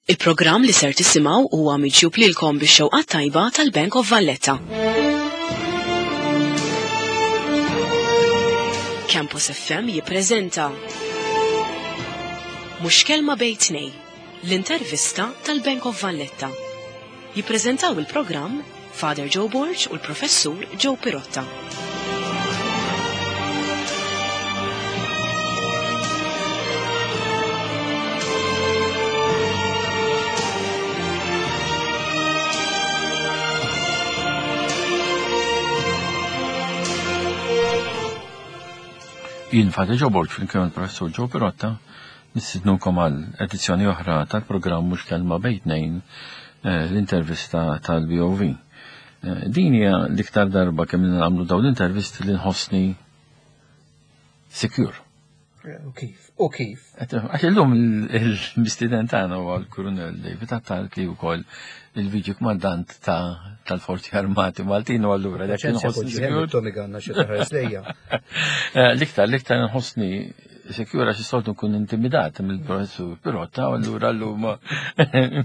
Il-programm li ser tisimgħu huwa miġjub lilkom bix-xewqat tajba tal-Bank of Valletta. Campus FM jippreżenta Mhux kelma bejn tnej, l-intervista tal-Bank of Valletta. Jippreżentaw il-programm Father Joe Borg u l-Professur Joe Pirotta. Jien Father Joe Borg flimkien mal-Professur Joe Pirotta nistidnukom għal edizzjoni oħra tal-programm Mhux Kelma Bejn Tnejn eh, l-intervista tal-BOV. Eh, din hija l-iktar darba kemm nagħmlu dawn l-intervisti li nħossni secure. Eh, u kif? U kif? Għax illum il-mistiden tagħna huwa l-Kurunell David Attard li wkoll il-Viċi Kmandant tal-Forzi Armati Maltin u allura dak nħossni secure. Tommy Ganna xi taħares lejja. Eh, l-iktar l-iktar nħossni secure għax is-soltu nkun intimidat mill-professur Pirotta u allura llum eh,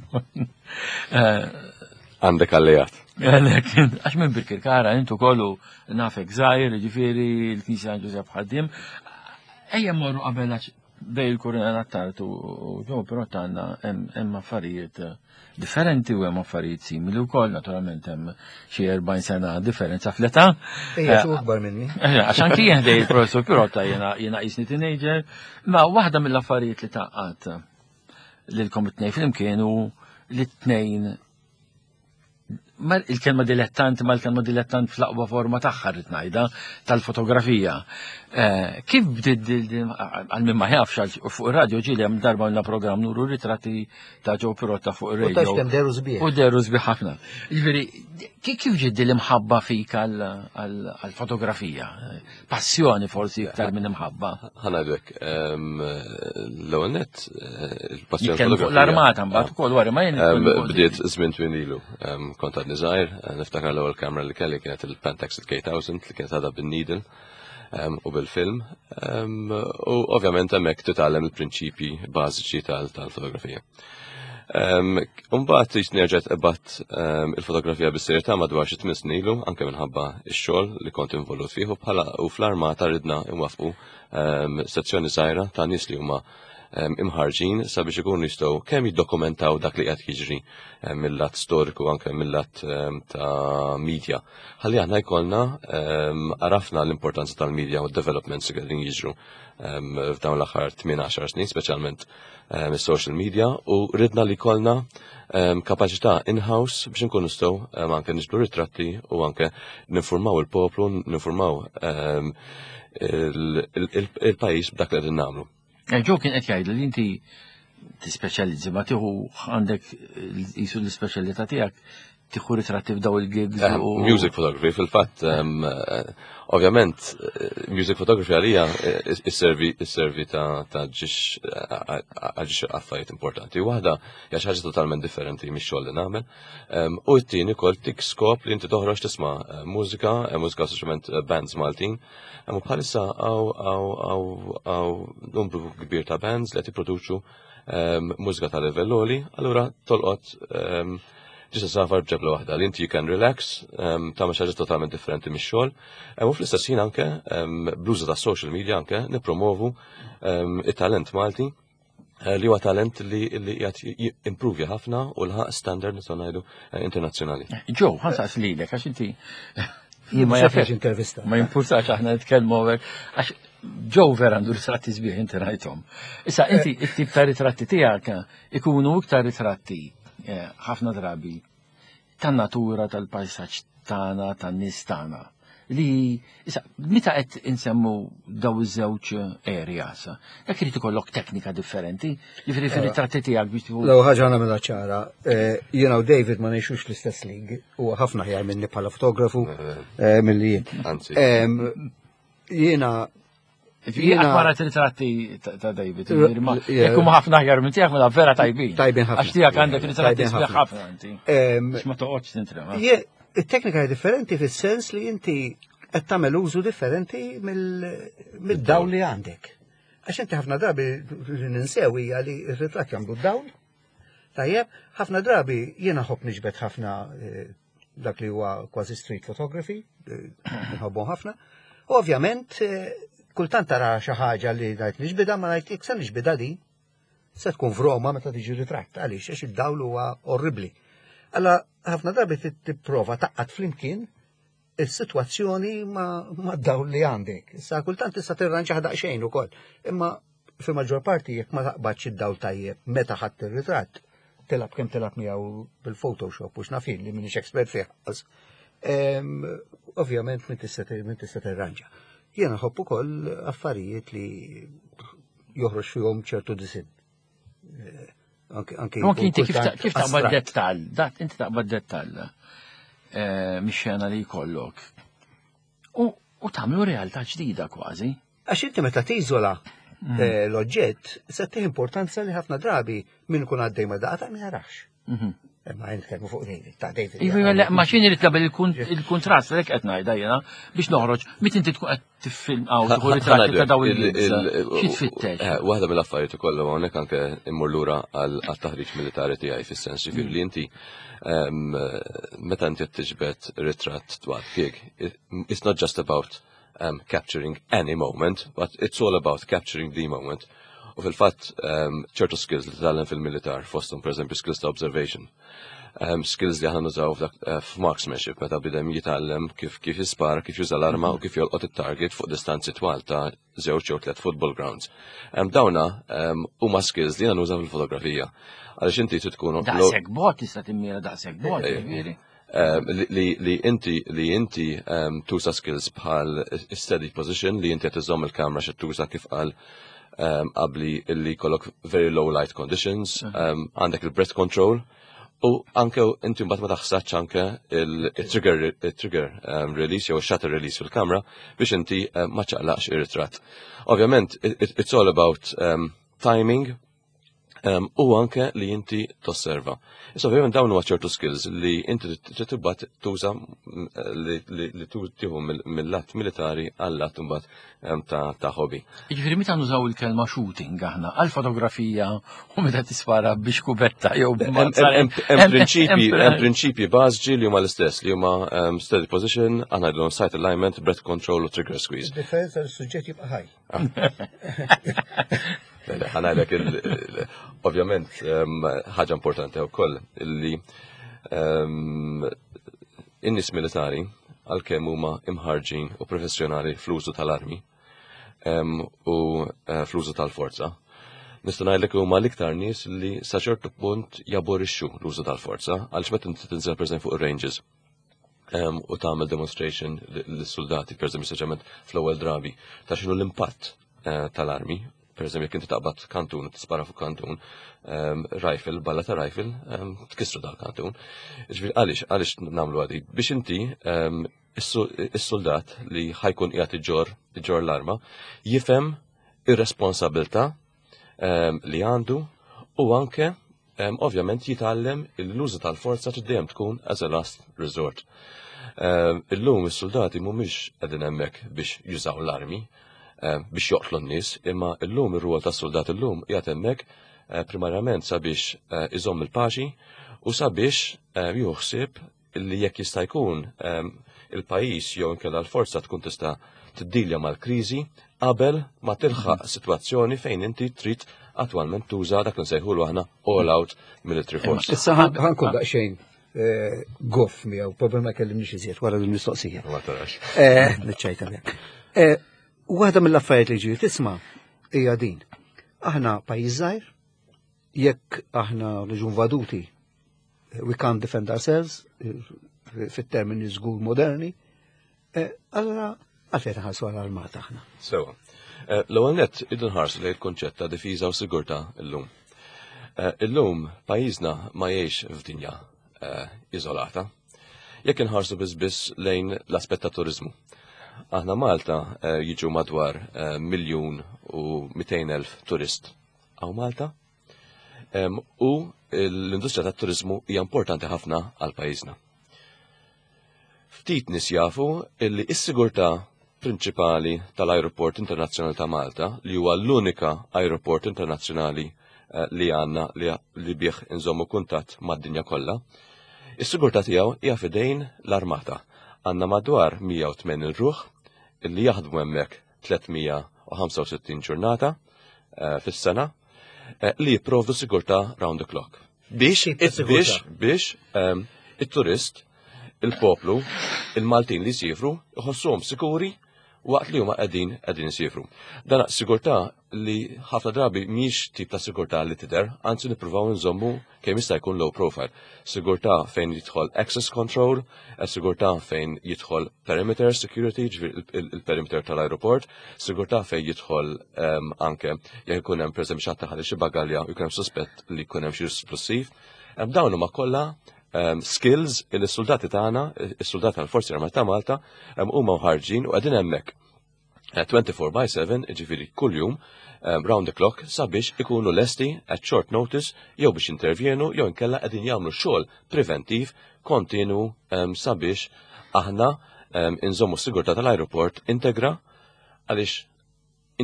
Għandek alleat. Għax minn Birkirkara intu kollu nafek żgħir, ġifieri l-Knisja San Ġużepp ħaddim. Ejja morru qabel għax bej il-Kurina Attard u ġew però tagħna hemm affarijiet differenti u hemm affarijiet simili wkoll, naturalment hemm xi 40 sena differenza fl-età. Ejja, xi akbar minni. Għax anki jien ħdej il-professur Pirotta jiena jiena qisni teenager, ma waħda mill-affarijiet li taqgħad lilkom it-tnejn flimkien u li t-tnejn il-kelma dilettant ma l-kelma dilettant fl-aqwa forma tagħha rrid ngħidha tal-fotografija. Eh, kif bdiet għal min ma jafx fuq ir-radio ġieli hemm darba għandna programm nuru ritratti ta' Joe Pirotta fuq ir-radio. U deru sbieħ. U deru sbieħ ħafna. Jiġifieri kif ġiet l-imħabba fik għall-fotografija? Passjoni forsi iktar minn imħabba. Ħanajdlek, l-ewwel nett eh, il-passjoni fuq l-armata mbagħad ah. ukoll wara ma jien. Bdiet żmien twil ilu. Kont għadni żgħir, eh, niftakar l-ewwel kamera li kelli kienet il-Pentax il-K1000 li kienet għadha bin-needle u bil-film. U ovvjament hemmhekk titgħallem il-prinċipji bażiċi tal-fotografija. Umbagħad jisni nerġa' qbadt il-fotografija bis-serjetà madwar xi tmien snin ilu, anke minħabba x-xogħol li kont involut fih u bħala u fl-armata ridna nwaffqu sezzjoni żgħira ta' nies li huma imħarġin sabiex ikunu jistgħu kemm jiddokumentaw dak li qed jiġri mill-lat storiku anke mill-lat ta' media. Ħalli aħna jkollna għarafna l-importanza tal-media u d-developments li qegħdin jiġru f'dawn l-aħħar 8-10 snin, speċjalment is-social media u ridna li kollna kapaċità in-house biex nkunu nistgħu anke niġbdu ritratti u anke ninformaw il-poplu, ninformaw il-pajjiż b'dak li qegħdin nagħmlu. Eh, Ġo kien qed jgħid li inti tispeċjalizzi ma tieħu għandek jisu l-ispeċjalità tiegħek tieħu ritratti f'daw il-gigs. Eh, music photography, fil-fatt, eh, ovvjament, eh, music photography għalija isservi ta' ġiex għal affarijiet importanti. Waħda hija xi ħaġa totalment differenti mix-xogħol li nagħmel. U t-tieni kol tik skop li inti toħroġ tisma' mużika, mużika soċjalment bands Maltin. U bħalissa għaw numru kbir ta' bands li qed jipproduċu mużika ta' livell għoli, allura tolqot ġisa safar b'ġebla waħda li inti you can relax, tagħmel xi ħaġa totalment differenti mix-xogħol. U fl-istess ħin anke bl-użu ta' social media anke nippromovu it-talent Malti eh, li huwa talent li qiegħed impruvja ħafna u lħaq standard nistgħu ngħidu eh, internazzjonali. Ġew, ħansaqs lilek għax inti Jien ma jafx intervista. Ma jimpurtax aħna nitkellmu għax ġew vera għandu ritratti sbieħ inti rajthom. Issa inti it-tip ta' ritratti tiegħek ikunu iktar ritratti eh, ħafna drabi tan-natura tal-pajsaġġ tagħna, tan-nies tagħna. Li issa meta qed insemmu daw iż-żewġ areas, dak irid ikollok teknika differenti, jiġifieri fir-ritratti tiegħek biex tieħu. L-ewwel ħaġa nagħmilha ċara, eh, jiena u David ma ngħixux l-istess league, huwa ħafna ħjar minni bħala fotografu eh, milli jien. Anzi. Jiena Jiena wara ritratti ta' David, jekk huma ħafna aħjar minn tiegħek mela vera tajbin. Tajbin ħafna. Għax tiegħek għandek ritratti sbieħ ħafna inti. Ma toqgħodx tintrema. It-teknika hija differenti fis-sens li inti qed tagħmel użu differenti mid-dawl li għandek. Għax inti ħafna drabi li ninsew hija li r-ritratt jagħmlu d-dawl. Tajjeb, ħafna drabi jiena nħobb niġbed ħafna dak li huwa kważi street photography, nħobbhom ħafna. U ovvjament, kultant tara xi ħaġa li ngħid niġbidha, ma ngħid jekk se niġbidha din, se tkun f'Roma meta tiġi ritratt, għaliex għax id-dawl huwa orribli. Alla ħafna drabi tipprova taqqat flimkien is-sitwazzjoni ma' dawl li għandek. Issa kultant tista' tirranġaħ daqsxejn ukoll. Imma fil-maġġor parti jekk ma taqbadx id-dawl tajjeb meta ħadd ir-ritratt, tilgħab kemm tilgħab miegħu bil-Photoshop u x'naf jien li m'iniex expert fih. Ovvjament min tista' tirranġa. Jiena nħobb ukoll affarijiet li joħroġ fihom ċertu disinn. Anke inti kif taqbad dettall, dat inti taqbad dettall mix-xena li jkollok. U tagħmlu realtà ġdida kważi. Għax inti meta tiżola l-oġġett, se tih importanza li ħafna drabi min ikun għaddej ma daqqa ma jarax. Ma nitkellmu fuq David, ta' David. Iva, ma xini li tabel il-kontrast, għalhekk qed ngħidha jiena biex noħroġ, mit inti tkun qed tiffilm għaw tieħu ritratti ta' daw il-nies. Xi tfittex? Waħda mill-affarijiet ukoll hawnhekk anke immur lura għal taħriġ militari tiegħi fis-sens ġifieri li inti meta inti qed tiġbed ritratt dwar gig, it's not just about capturing any moment, but it's all about capturing the moment. U fil-fatt, ċertu skills li titgħallem fil-militar, fosthom per eżempju skills ta' observation, skills li aħna nużaw f'marksmanship, meta bniedem jitgħallem kif jispara, kif juża l-arma u kif jolqot it-target fuq distanzi twal ta' żewġ jew tliet football grounds. Dawna huma skills li nużaw fil-fotografija. Għaliex inti trid tkun Daqshekk bot tista' timmira daqshekk bot, ġifieri. Li inti tuża skills bħal steady position li inti qed iżomm il-kamera xi tuża kif qal qabli illi jkollok very low light conditions, għandek il-breath control u anke inti mbagħad ma taħsadx anke il-trigger release jew shutter release fil-kamera biex inti ma ċaqlaqx ir-ritratt. Ovvjament, it's all about timing u anke li inti tosserva. Issa ovvjament dawn huwa ċertu skills li inti trid tibgħat tuża li tieħu mill-lat militari għal-lat imbagħad ta' hobby. Jiġifieri meta nużaw il-kelma shooting aħna għal fotografija u meta tispara biex kubetta jew Hemm prinċipji bażiċi li huma l-istess li huma steady position, aħna ngħidulhom sight alignment, breath control u trigger squeeze. Differenza l-suġġett jibqa' ħaj. Ħa ngħidlek, ovvjament, ħaġa importanti wkoll illi in-nies militari għalkemm huma imħarġin u professjonali fl-użu tal-armi u fl-użu tal-forza. Nista' ngħidlek huma l-iktar nies li sa ċertu punt jaborixxu l-użu tal-forza għaliex meta inti tinżel pereżempju fuq ir-ranges u tagħmel demonstration lis-soldati, pereżempju speċjalment fl-ewwel drabi, ta' x'inhu l-impatt tal-armi. Per eżempju, jekk inti taqbad kantun, tispara fuq kantun, rifle, balla ta' rifle, tkissru dal-kantun. Ġifieri għaliex nagħmlu għadi? Biex inti is-soldat li ħa jkun qiegħed iġorr l-arma jifhem ir-responsabilità li għandu u anke ovvjament jitgħallem l-użu tal-forza dejjem tkun as a last resort. Illum is-soldati mhumiex qegħdin hemmhekk biex jużaw l-armi, biex joqtlu n-nies, imma illum ir-rwol tas-soldat illum qiegħed hemmhekk primarjament sabiex iżomm il-paċi u sabiex juħsib li jekk jista' jkun il-pajjiż jew inkella l-forza tkun tista' tiddilja mal-kriżi qabel ma tilħaq sitwazzjoni fejn inti trid attwalment tuża dak li nsejħulu aħna all out military force. Issa ħa nkun daqsxejn goff miegħu, problema kellimniex iżjed wara l-mistoqsija. Ma tarax. Niċċajta miegħek. Waħda mill-affarijiet li ġieli tisma' hija din. Aħna pajjiż żgħir, jekk aħna niġu invaduti, we can't defend ourselves fit-termini żgur moderni, allora għalfejn nħallsu għall-armata aħna. Sewa. L-ewwel nett irridu nħarsu lejn il-kunċett ta' difiża u sigurtà illum. Illum pajjiżna ma jgħix f'dinja iżolata. Jekk inħarsu biss biss lejn l-aspett ta' turizmu. Aħna Malta jiġu madwar 1,200,000 turist hawn Malta. U l-industrija tat-turizmu hija importanti ħafna għal pajjiżna. Ftit nies jafu illi s-sigurtà prinċipali tal-Aeroport Internazzjonali ta' Malta, li huwa l-unika aeroport internazzjonali. li għandna li bih inżommu kuntatt mad-dinja kollha. Is-sigurtà tiegħu hija f'idejn l-armata. Għandna madwar 180 ruħ li jaħdmu hemmhekk 365 ġurnata fis-sena li jipprovdu sigurtà round the clock. Biex biex biex it-turist, il-poplu, il-Maltin li jsifru jħossuhom sikuri waqt li huma qegħdin qegħdin isifru. Dan sigurtà li ħafna drabi mhix tip ta' sigurtà li tidher, anzi nippruvaw nżommu kemm jista' jkun low profile. Sigurtà fejn jidħol access control, sigurtà fejn jidħol perimeter security, il-perimeter tal-aeroport, sigurtà fejn jidħol anke jekk ikun hemm pereżempju xi ħadd ħalli xi bagalja u jkun hemm suspett li jkun hemm xi splussiv. Dawn huma kollha skills li s-soldati tagħna, is-soldati tal-Forzi Armati ta' Malta, huma mħarġin u qegħdin hemmhekk 24 by 7, ġifieri kuljum, round the clock, sabiex ikunu lesti at short notice jew biex intervjenu jew inkella qegħdin jagħmlu xogħol preventiv kontinu sabiex aħna inżommu s-sigurtà tal-aeroport integra għaliex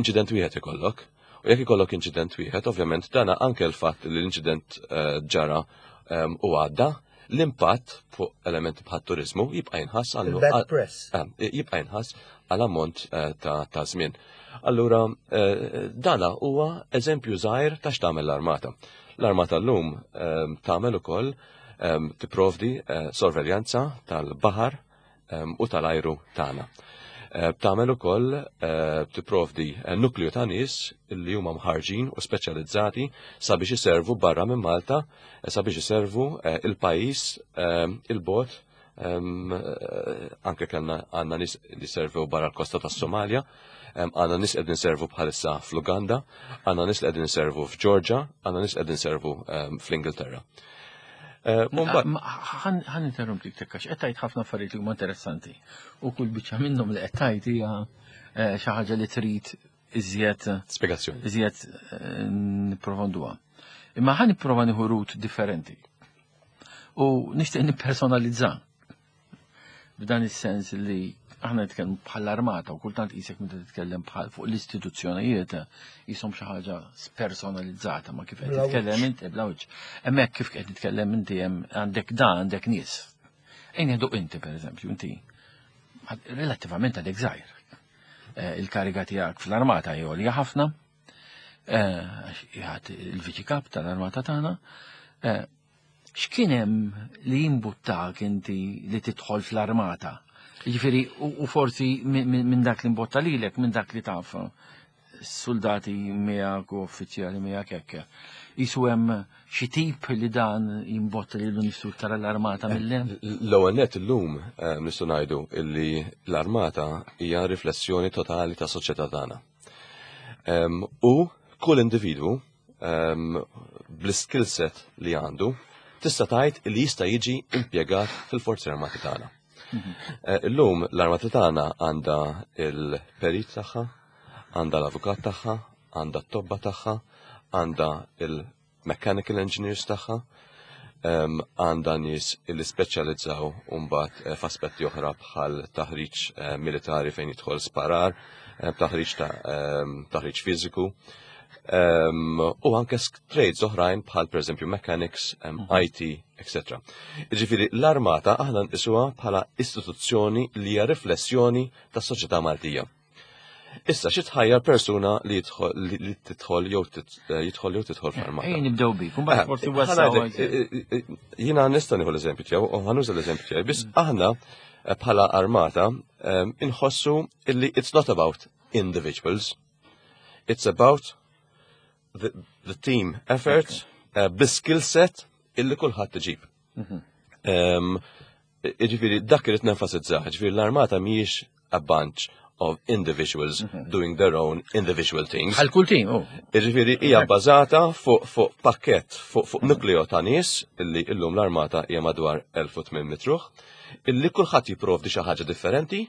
inċident wieħed ikollok. U jekk ikollok inċident wieħed, ovvjament dana anke l-fatt li l-inċident ġara u għadda, l-impatt fuq elementi bħat turizmu jibqa' jinħass għal jibqa' jinħass għal ammont ta' żmien. Allura dana huwa eżempju żgħir ta' x'tagħmel l-armata. L-armata llum tagħmel ukoll tipprovdi sorveljanza tal-baħar u tal-ajru tagħna. Tagħmel ukoll tipprovdi nukleu ta' nies li huma mħarġin u speċjalizzati sabiex iservu barra minn Malta, sabiex iservu il-pajjiż il-bot anke kellna għandna nies li servew barra l-kosta tas-Somalja, għandna nies qegħdin servu bħalissa fl-Uganda, għandna nies li qegħdin servu f'Georgia, għandna nies qegħdin servu fl-Ingilterra. Ħa ninterrompik tekka, qed tgħid ħafna affarijiet li huma interessanti. U kull biċċa minnhom li qed tgħid hija xi ħaġa li trid iżjed spjegazzjoni. Iżjed nipprofonduha. Imma ħa nipprova nieħu route differenti. U nixtieq nippersonalizza. F'dan is-sens li aħna nitkellmu bħall-armata u kultant qisek meta titkellem bħal fuq l-istituzzjonijiet jisom xi ħaġa personalizzata ma kif qed titkellem inti bla wiċċ. Hemmhekk kif qed titkellem inti hemm għandek da għandek nies. Ejn nieħdu inti pereżempju, inti relattivament għadek żgħir. Il-kariga tiegħek fl-armata hi għolja ħafna, għax il-viċi kap tal-armata tagħna. X'kien hemm li jimbuttak inti li tidħol fl-armata? Jiġifieri u forsi minn dak li mbotta lilek, minn dak li taf soldati miegħek u uffiċjali miegħek hekk. Isu hemm xi tip li dan jimbotta lilu nnifsu iktar l-armata mill L-ewwel nett illum nistgħu ngħidu illi l-armata hija riflessjoni totali tas soċjetà tagħna. U kull individwu bl-skill set li għandu tista' tgħid li jista' jiġi impjegat fil-Forzi Armati tagħna. Illum l-armata tagħna għandha il-perit tagħha, għandha l-avukat tagħha, għandha t-tobba tagħha, għandha il-mechanical engineers tagħha, għandha nies li speċjalizzaw mbagħad f'aspetti oħra bħal taħriġ militari fejn jidħol sparar, taħriġ ta' taħriġ fiżiku. U anke trades oħrajn bħal pereżempju mechanics, IT, etc. Ġifieri l-armata aħna nqisuha bħala istituzzjoni li hija riflessjoni tas-soċjetà Maltija. Issa xi tħajjar persuna li jidħol li tidħol jew jidħol jew tidħol fl-armata? Ejja nibdew bik, mbagħad forsi wassaw. Jiena nista' nieħu l-eżempju tiegħu u ħa nuża l-eżempju tiegħi, biss aħna bħala armata inħossu illi it's not about individuals. It's about the team effort, bi-skill set illi kulħadd iġib. Ġifieri dak irid nenfasizza, ġifieri l-armata mhijiex a bunch of individuals doing their own individual things. Għal kull team, oh. Ġifieri hija bbażata fuq pakket, fuq nukleo ta' nies illi illum l-armata hija madwar 1800 ruħ, illi kulħadd jipprovdi xi ħaġa differenti,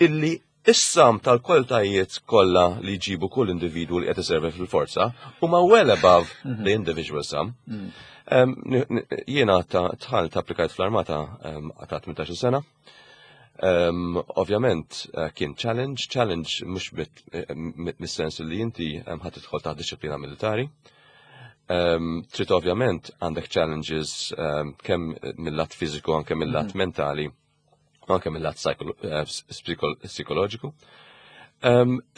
illi is-sum tal-kwalitajiet kollha li jġibu kull individwu li qed iservi fil-forza huma well above the individual sum. Jiena ta' dħalt applikajt fl-armata ta' 18 sena. Ovvjament kien challenge, challenge mhux mis-sens li inti ħadd tidħol ta' disciplina militari. Trid ovvjament għandek challenges kemm mill-lat fiżiku anke mill-lat mentali, anke mill-lat psikoloġiku.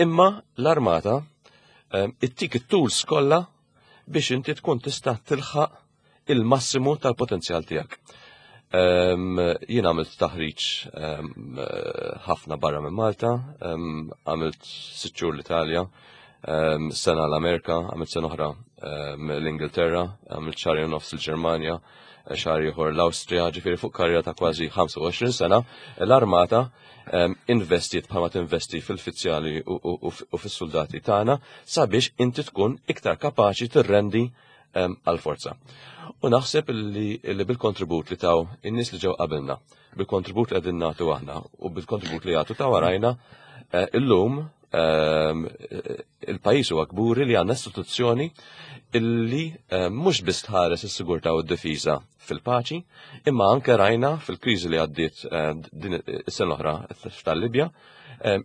Imma l-armata ittik it-tools kollha biex inti tkun tista' tilħaq il-massimu tal-potenzjal tiegħek. Jien għamilt taħriġ ħafna barra minn Malta, għamilt 6 xhur l-Italja, sena l-Amerika, għamilt sena oħra l-Ingilterra, għamilt xahar u nofs il-Ġermanja, xahar ieħor l-Awstrija, ġifieri fuq karriera ta' kważi 25 sena, l-armata investiet bħalma tinvesti fil-fizzjali u fis-soldati tagħna sabiex inti tkun iktar kapaċi tirrendi għal-forza. U naħseb li bil-kontribut li taw in-nies li ġew qabilna, bil-kontribut li qegħdin nagħtu aħna u bil-kontribut li jagħtu ta' warajna, illum il-pajjiż huwa kburi li għandna istituzzjoni illi mhux biss tħares is-sigurtà u d-difiża fil-paċi, imma anke rajna fil-kriżi li għaddiet din is-sena l-oħra tal-Libja,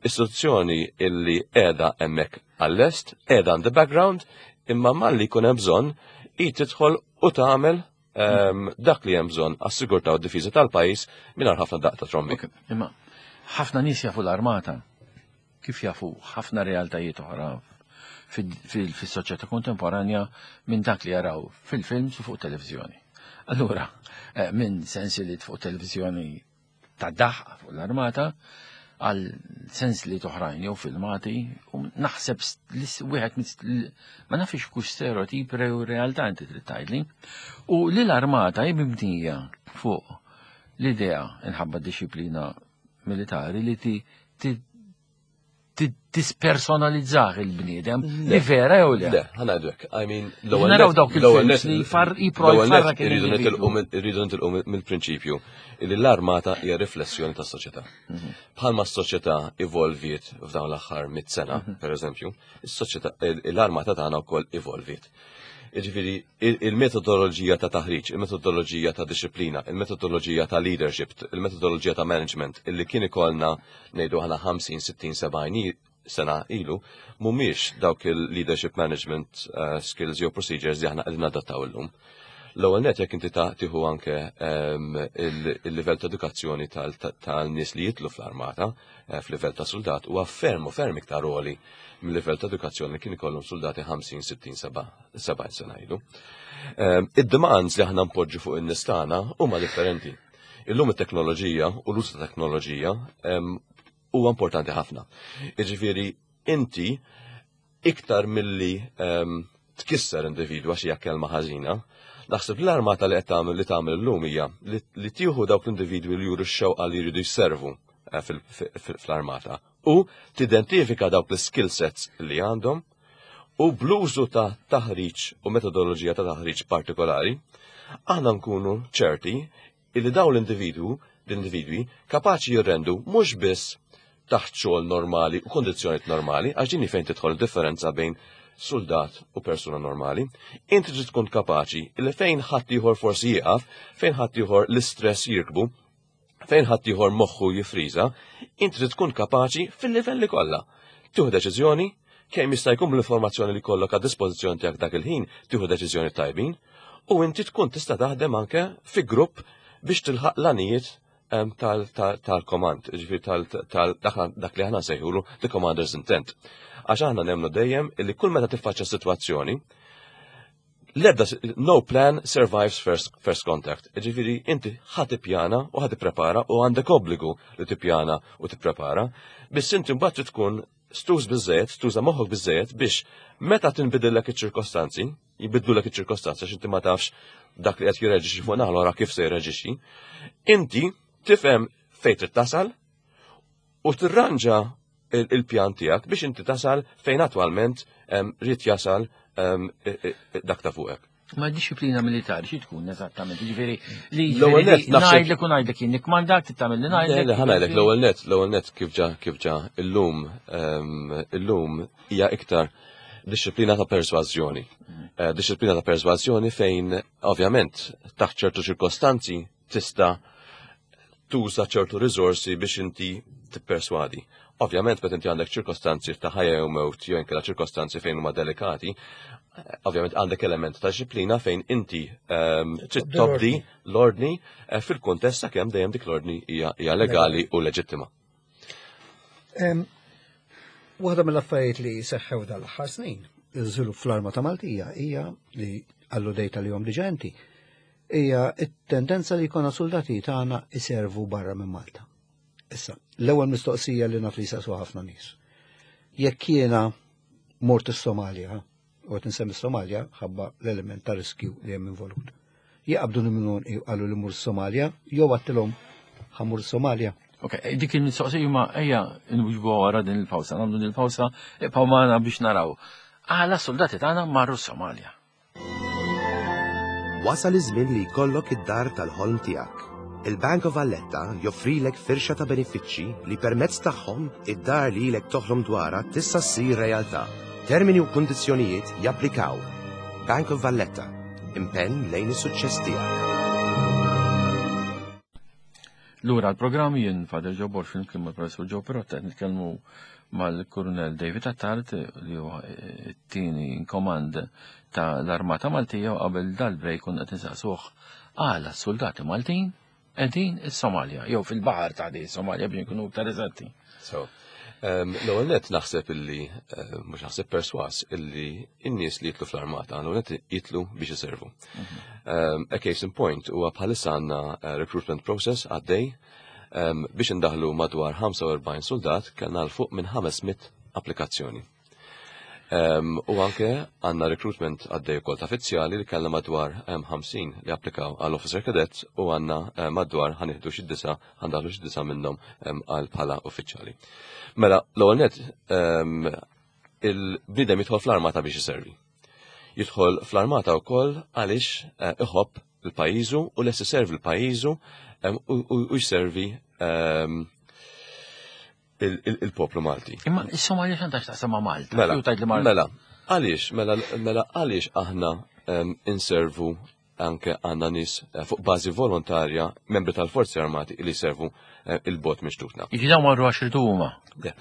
istituzzjoni illi qiegħda hemmhekk għall-est, qiegħda on the background, imma malli jkun hemm bżonn hi tidħol u tagħmel dak li hemm bżonn għas-sigurtà u d-difiża tal-pajjiż mingħajr ħafna daqq ta' trombi. Imma ħafna nies jafu l-armata kif jafu ħafna realtajiet oħra fis-soċjetà kontemporanja minn dak li jaraw fil-films u fuq televizjoni. Allura, minn sensiliet fuq televizjoni ta' daħq fuq l-armata għal sensiliet oħrajn jew filmati u naħseb li wieħed ma nafx kux stereotip jew realtà inti trid tgħidli. U li l-armata hi mibnija fuq l-idea inħabba disciplina militari li ti tispersonalizzah il-bniedem li vera jew le. Le, ħa ngħidlek, I mean, l-ewwel Naraw dawk il-films li far jipro jfarrak irridu nitilqu mill-prinċipju li l-armata hija riflessjoni tas-soċjetà. Bħalma s-soċjetà evolviet f'dawn l-aħħar 100 sena, per eżempju, is-soċjetà l-armata tagħna wkoll evolviet. Jiġifieri il-metodoloġija ta' taħriġ, il-metodoloġija ta' disciplina, il-metodoloġija ta' leadership, il-metodoloġija ta' management illi kien ikollna ngħidu aħna 50, 60, 70 sena ilu, mhumiex dawk il-leadership management skills jew procedures li aħna qegħdin nadattaw illum. L-ewwel net jekk inti tieħu anke il-livell ta' edukazzjoni tal-nies li jidħlu fl-armata f'livell ta' soldat huwa ferm u ferm iktar għoli mill-livell ta' edukazzjoni li kien ikollhom soldati 50, 60, 70 sena ilu. Id-demands li aħna npoġġu fuq in-nies tagħna huma differenti. Illum it-teknoloġija u l-użu ta' teknoloġija huwa importanti ħafna. Jiġifieri inti iktar milli tkisser individwa xi kelma ħażina, naħseb l-armata li qed tagħmel li tagħmel illum hija li tieħu dawk l-individwi li juru x-xewqa li jridu jservu fl-armata u tidentifika dawk l-skill sets li għandhom u bl-użu ta' taħriġ u metodoloġija ta' taħriġ partikolari, aħna nkunu ċerti illi dawn l-individwi kapaċi jirrendu mhux biss taħt xogħol normali u kondizzjonijiet normali, għax din fejn tidħol differenza bejn soldat u persuna normali, inti trid tkun kapaċi li fejn ħadd ieħor forsi jieqaf, fejn ħadd ieħor l-istress jirkbu, fejn ħadd ieħor moħħu jifriża, inti trid tkun kapaċi fil-livelli kollha. Tieħu deċiżjoni, kemm jista' jkun l-informazzjoni li kollok għad dispożizzjoni tiegħek dak il-ħin, tieħu deċiżjoni tajbin, u inti tkun tista' taħdem anke fi grupp biex tilħaq l-għanijiet tal-komand, ġifieri dak li aħna nsejħulu the commander's intent. Għax aħna nemmnu dejjem illi kull meta tiffaċċja sitwazzjoni, l-ebda no plan survives first contact. Ġifieri inti ħa tippjana u ħa tipprepara u għandek obbligu li tippjana u tipprepara, biss inti mbagħad tkun stuż biżejjed, tuża moħħok biżejjed biex meta tinbidillek iċ-ċirkostanzi, jibidlulek iċ-ċirkostanzi għax inti ma tafx dak li qed jirreġixxi fuq naħa l kif se jirreġixxi, inti tifhem fejn trid tasal u tirranġa il-pjan tiegħek biex inti tasal fejn attwalment rrid jasal dak ta' fuqek. Ma disciplina militari xi tkun eżattament, ġifieri li ngħidlek u ngħidlek jien nikmandak tagħmel li ngħidlek. Le, ħa ngħidlek l-ewwel net kif ġa illum hija iktar disciplina ta' persważjoni. Disciplina ta' persważjoni fejn ovvjament taħt ċertu ċirkostanzi tista' tuża ċertu riżorsi biex inti tipperswadi. Ovvjament, meta inti għandek ċirkostanzi ta' ħajja jew mewt jew inkella ċirkostanzi fejn huma delikati, Ovvjament għandek element ta' disciplina fejn inti trid tobdi l-ordni fil-kuntest sakemm dejjem dik l-ordni hija legali u leġittima. Waħda mill-affarijiet li seħħew dal-aħħar snin, iż-żvilupp fl-Armata Maltija hija li alludejt għalihom diġà inti, hija t-tendenza li jkollna soldati tagħna iservu barra minn Malta. Issa, l-ewwel mistoqsija li naf li jsaqsu ħafna nies. Jekk jiena mort is-Somalja, u qed insemmi Somalja ħabba l-element ta' riskju li hemm involut. Jaqbdu minn qalu li mur Somalja, jew għattilhom ħa mmur Somalja. Ok, dik il-mistoqsija ma ejja nwiġbu wara din il-pawsa, nagħmlu din il-pawsa, ibqgħu magħna biex naraw. Għala soldati tagħna marru Somalja. Wasal iż-żmien li jkollok id-dar tal-ħolm tiegħek. Il-Bank of Valletta joffrilek firxa ta' benefiċċji li permezz tagħhom id-dar li ilek toħlom dwarha tista' ssir realtà. Termini u kundizzjonijiet japplikaw. Bank of Valletta, impenn lejn is-suċċess tiegħek. Lura l-programm jien Father Joe Borg flimkien mal-Professur Joe Pirotta qed nitkellmu mal-Kurunell David Attard li huwa t-tieni in command ta' l-Armata Maltija u qabel dal-break konna qed insaqsuh għala s-soldati Maltin qegħdin is-Somalja jew fil-baħar ta' di Somalja biex nkunu iktar eżatti. So, l-ewwel nett naħseb illi mhux naħseb perswas illi n-nies li jitlu fl-armata l-ewwel nett jitlu biex iservu. A case in point huwa bħalissa għandna recruitment process għaddej biex indaħlu madwar 45 soldat kellna 'l fuq minn 500 applikazzjoni. U anke għandna recruitment għaddej ukoll ta' uffiċjali li kellna madwar 50 li applikaw għal officer cadet u għandna madwar ħa nieħdu xi disa' ħa ndaħlu xi disa' minnhom għal bħala uffiċjali. Mela, l-ewwel nett il-bniedem jidħol fl-armata biex iservi. Jidħol fl-armata wkoll għaliex iħobb il-pajjiżu u lest iservi l-pajjiżu u jservi il-poplu Malti. Imma is-Somalja x'għandha x'taqsam ma' Malta? Mela, Jew tgħid li Malta- mela, għaliex, mela, mela għaliex aħna inservu anke għandna nies fuq bażi volontarja membri tal-Forzi Armati li jservu il-bogħod minn xtutna. Jiġi dawn marru għax iridu huma. Le,